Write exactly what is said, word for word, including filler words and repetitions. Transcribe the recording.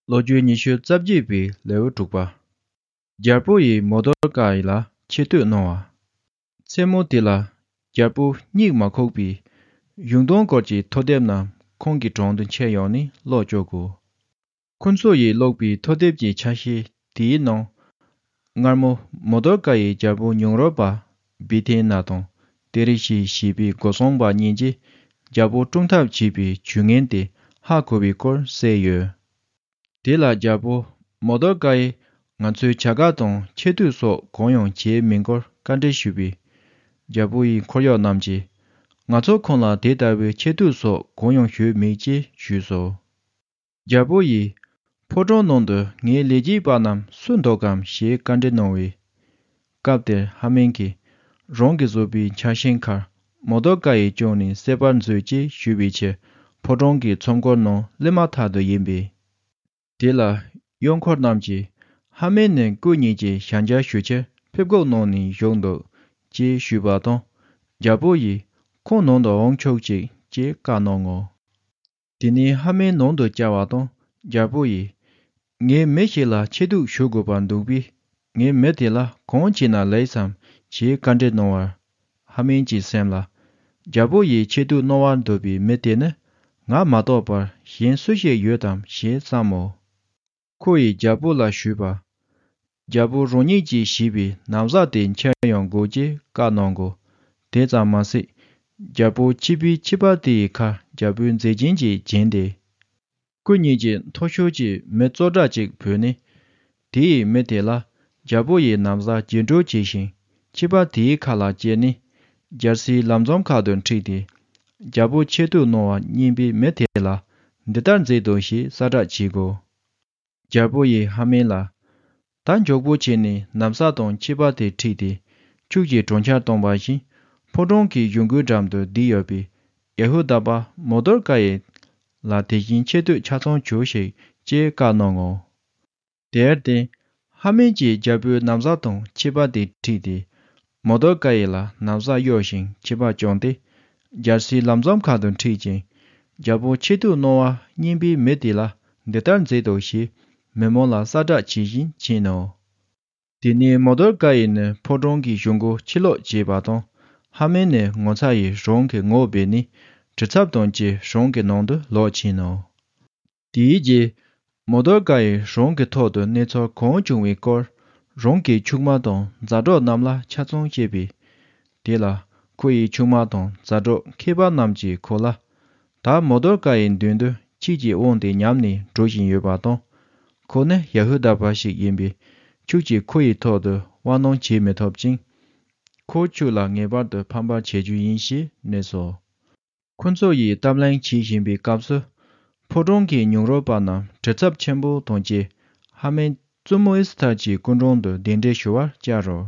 ལོ་རྒྱུས་ཉི་ཤུ་རྩ་བརྒྱད་པའི་ལེའུ་དྲུག་པ། རྒྱལ་པོ་ཡིས་མོ་དོར་ཀ་ཡི་ལ་ཆེ་བསྟོད་གནང་བ། མཚན་མོ་དེ་ལ་རྒྱལ་པོ་གཉིད་མ་ཁུག་པས། གཞུང་དོན་སྐོར་གྱི་ཐོ་དེབ་རྣམས་ཁོང་གི་དྲུང་དུ་འཁྱེར་ཡོང་ནས་ཀློག་བཅུག་གོ། ཁོ་ཚོ་ཡིས་ཀློག་པའི་ཐོ་དེབ་ཀྱི་ཆ་ཤས་དེའི་ནང་། སྔར་མོ་མོ་དོར་ཀ་ཡི་རྒྱལ་པོ་ཉུང་རོལ་པ་བི་ཐེ་ན་དང་ཏེ་རེ་ཤི་ཞེས་པའི་སྒོ་སྲུང་པ་གཉིས་ཀྱིས་རྒྱལ་པོ་བཀྲོངས་ཐབས་བྱས་པའི་ཇུས་ངན་དེ་ཧ་གོ་བའི་སྐོར་གསལ་ཡོད། དེ་ལ་རྒྱལ་པོ་མོ་དོར་ཀ་ཡིས་ང་ཚོའི་བྱ་དགའ་དང་ཆེ་བསྟོད་སོགས་གང་ཡང་བྱས་མེད་སྐོར་བཀའ་འདྲི་ཞུས་པས། རྒྱལ་པོ་ཡི་འཁོར་གཡོག་རྣམས་ཀྱིས་ང་ཚོ་ཁོང་ལ་དེ་ལྟ་བུའི་ཆེ་བསྟོད་སོགས་གང་ཡང་ཞུས་མེད་ཅེས་ཞུས་སོ། རྒྱལ་པོ་ཡིས་ཕོ་བྲང་ནང་དུ་ངའི་ལས་བྱེད་པ་རྣམས་སུ་འདུག་གམ་ཞེས་བཀའ་འདྲི་གནང་བའི་སྐབས་དེར་ཧ་མན་གྱིས་རང་གིས་བཟོས་པའི་ཆ་ཤས་ཁར་མོ་དོར་ཀ་ཡི་བཅུག་ནས་གསལ་བར་མཛོད་ཅེས་ཞུས་པའི་ཕྱིར་ཕོ་བྲང་གི་ཚོམས་སྐོར་ནང་སླེབས་མ་ཐག་ཏུ་ཡིན་པས། དེ་ལ་གཡོག་འཁོར་རྣམས་ཀྱིས་ཧ་མན་ནི་སྐུ་ཉིད་ཀྱི་ཞལ་མཇལ་ཞུ་ཕྱིར་ཕེབས་འགོག་གནང་ནས་བཞུགས་འདུག་ཅེས་ཞུས་པ་དང་། རྒྱལ་པོ་ཡིས་ཁོང་ནང་དུ་འོང་ཆོག་ཅིག་ཅེས་བཀའ་གནང་ངོ་། དེ་ནས་ཧ་མན་ནང་དུ་བཅར་བ་དང་རྒྱལ་པོ་ཡིས། ངས་མི་ཞིག་ལ་ཆེ་བསྟོད་ཞུ་དགོས་པར་འདུག་པས། ངས་མི་དེ་ལ་གང་བྱས་ན་ལེགས་སམ་ཞེས་བཀའ་འདྲི་གནང་བར། ཧ་མན་གྱི་སེམས་ལ། རྒྱལ་པོ་ཡིས་ཆེ་བསྟོད་གནང་བར་འདོད་པའི་མི་དེ་ནི་ང་མ་གཏོགས་པར་གཞན་སུ་ཞིག་ཡོད་དམ་ཞེས་བསམ་མོ། ཁོ་ཡིས་རྒྱལ་པོ་ལ་ཞུས་པ། རྒྱལ་པོ་རང་ཉིད་ཀྱིས་བྱིས་པའི་ན་བཟའ་དེ་འཁྱེར་ཡོང་དགོས་ཅེས་བཀའ་གནང་གོ། དེ་ཙམ་མ་ཟད། རྒྱལ་པོ་ཆིབས་པའི་ཆིབས་པ་དེ་ཡི་ཁར་རྒྱལ་པོའི་མཛེས་རྒྱན་གྱིས་བརྒྱན་ཏེ། སྐུ་ཉིད་ཀྱི་མཐོ་ཤོས་ཀྱི་མི་བཙོ་བཀྲ་ཅིག་བོས་ནས། དེ་ཡི་མི་དེ་ལ་རྒྱལ་པོ་ཡི་ན་བཟའ་བརྒྱད་འགྲོས་བྱས་ཤིང་ཆིབས་པ་དེའི་ཁ་ལ་བསྐྱལ་ནས། རྒྱལ་སྲིད་ལམ་འཛོམས་ཁ་དུ་ཁྲིད་དེ། རྒྱལ་པོ་ཆེ་བསྟོད་གནང་བ་སྙན་པའི་མི་དེ་ལ་འདི་ལྟར་མཛད་དོ་ཞེས་གསལ་བསྒྲགས་བྱེད་དགོས། རྒྱལ་པོ་ཡིས་ཧ་མན་ལ། ད་མགྱོགས་པོ་བྱས་ནས་ན་བཟའ་དང་ཆིབས་པ་དེ་ཁྲིད་དེ། ཁྱོད་ཀྱིས་གྲོང་ཁྱེར་བཏང་བ་བཞིན། ཕོ་བྲང་གི་གཞུང་སྒོའི་འགྲམ་དུ་བསྡད་ཡོད་པའི་ཡ་ཧུ་དཱ་པ་མོ་དོར་ཀ་ཡི་ལ་དེ་བཞིན་ཆེ་བསྟོད་ཆ་ཚང་བྱོས་ཤིག་ཅེས་བཀའ་གནང་ངོ་། དེར་བརྟེན། ཧ་མན་གྱིས་རྒྱལ་པོའི་ན་བཟའ་དང་ཆིབས་པ་དེ་ཁྲིད་དེ། མོ་དོར་ཀ་ཡི་ལ་ན་བཟའ་གཡོགས་ཤིང་ཆིབས་པ་བསྐྱངས་ཏེ། རྒྱལ་སྲིད་ལམ་འཛོམས་ཁ་དུ་ཁྲིད་ཅིང་། རྒྱལ་པོ་ཆེ་བསྟོད་གནང་བ་སྙན་པའི་མི་དེ་ལ་འདི་ལྟར་མཛད་དོ་ཞེས་མི་མང་ལ་གསལ་བསྒྲགས་བྱེད་བཞིན་ཕྱིན་ནོ། དེ་ནས་མོ་དོར་ཀ་ཡི་ནི་ཕོ་བྲང་གི་གཞུང་སྒོ་ཕྱིར་ལོག་བྱས་པ་དང་། ཧ་མན་ནི་ངོ་ཚ་ཡིས་རང་གི་ངོ་སྦས་ནས་གྲི་ཚབ་དང་བཅས་རང་གི་ནང་དུ་ལོག་ཕྱིན་ནོ། དེའི་རྗེས། མོ་དོར་ཀ་ཡིས་རང་གི་ཐོག་ཏུ་གནས་ཚུལ་གང་བྱུང་བའི་སྐོར། རང་གི་ཆུང་མ་དང་མཛའ་གྲོགས་རྣམས་ལ་ཆ་ཚང་བཤད་པས། དེ་ལ་ཁོ་ཡི་ཆུང་མ་དང་མཛའ་གྲོགས་མཁས་པ་རྣམས་ཀྱིས་ཁོ་ལ། ད་མོ་དོར་ཀ་ཡི་མདུན་དུ་ཁྱེད་ཀྱི་དབང་དེ་ཉམས་ནས་འགྲོ་བཞིན་ཡོད་པ་དང་། ཁོ་ནི་ཡ་ཧུ་དཱ་པ་ཞིག་ཡིན་པས། ཁྱོད་ཀྱིས་ཁོ་ཡི་ཐོག་ཏུ་དབང་གནང་བྱེད་མི་ཐུབ་ཅིང་། ཁོ་ཁྱོད་ལ་ངེས་པར་དུ་ཕམ་པར་བྱེད་རྒྱུ་ཡིན་ཞེས་སྨྲས་སོ། ཁོ་ཚོ་ཡིས་གཏམ་གླེང་བྱེད་བཞིན་པའི་སྐབས་སུ། ཕོ་བྲང་གི་ཉུང་རོལ་པ་རྣམས་གྲི་ཚབ་ཆེན་པོ་དང་བཅས་ཧ་མན་བཙུན་མོ་ཨེ་སི་ཐར་གྱི་སྐུ་མགྲོན་དུ་གདན་འདྲེན་ཞུ་བར་བཅར་རོ།